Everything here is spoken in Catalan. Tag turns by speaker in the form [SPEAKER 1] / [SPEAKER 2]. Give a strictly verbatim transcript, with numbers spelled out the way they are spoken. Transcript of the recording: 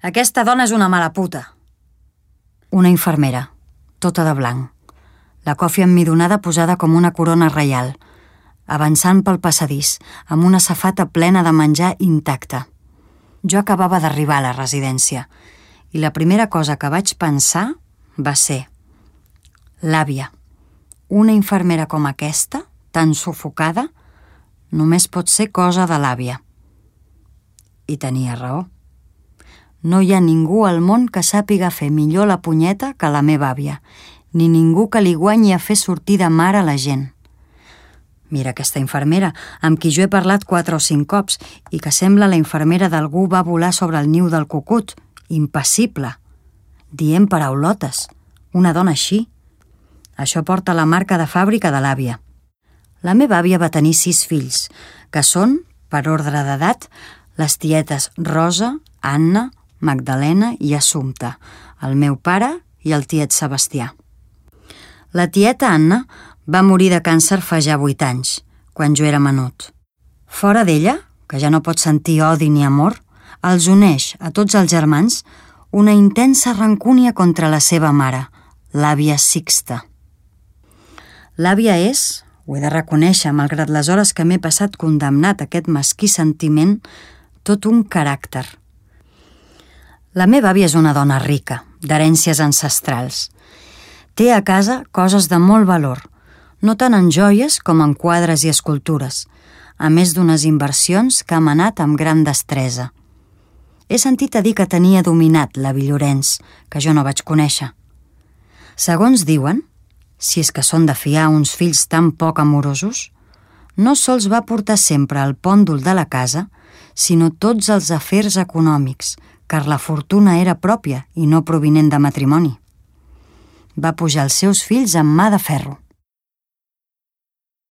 [SPEAKER 1] Aquesta dona és una mala puta. Una infermera, tota de blanc. La còfia emmidonada posada com una corona reial, avançant pel passadís, amb una safata plena de menjar intacta. Jo acabava d'arribar a la residència i la primera cosa que vaig pensar va ser l'àvia. Una infermera com aquesta, tan sufocada, només pot ser cosa de l'àvia. I tenia raó. No hi ha ningú al món que sàpiga fer millor la punyeta que la meva àvia, ni ningú que li guanyi a fer sortir de mare la gent. Mira aquesta infermera, amb qui jo he parlat quatre o cinc cops i que sembla la infermera d'algú va volar sobre el niu del cucut, impassible, dient paraulotes. Una dona així. Això porta la marca de fàbrica de l'àvia. La meva àvia va tenir sis fills, que són, per ordre d'edat, les tietes Rosa, Anna, Magdalena i Assumpta, el meu pare i el tiet Sebastià. La tieta Anna va morir de càncer fa ja vuit anys, quan jo era menut. Fora d'ella, que ja no pot sentir odi ni amor, els uneix a tots els germans una intensa rancúnia contra la seva mare, l'àvia Sixta. L'àvia és, ho he de reconèixer, malgrat les hores que m'he passat condemnat a aquest mesquí sentiment, tot un caràcter. La meva àvia és una dona rica, d'herències ancestrals. Té a casa coses de molt valor, no tant en joies com en quadres i escultures, a més d'unes inversions que ha manat amb gran destresa. He sentit a dir que tenia dominat l'avi Llorenç, que jo no vaig conèixer. Segons diuen, si és que són de fiar uns fills tan poc amorosos, no sols va portar sempre el pòndol de la casa, sinó tots els afers econòmics, car la fortuna era pròpia i no provinent de matrimoni. Va pujar els seus fills amb mà de ferro.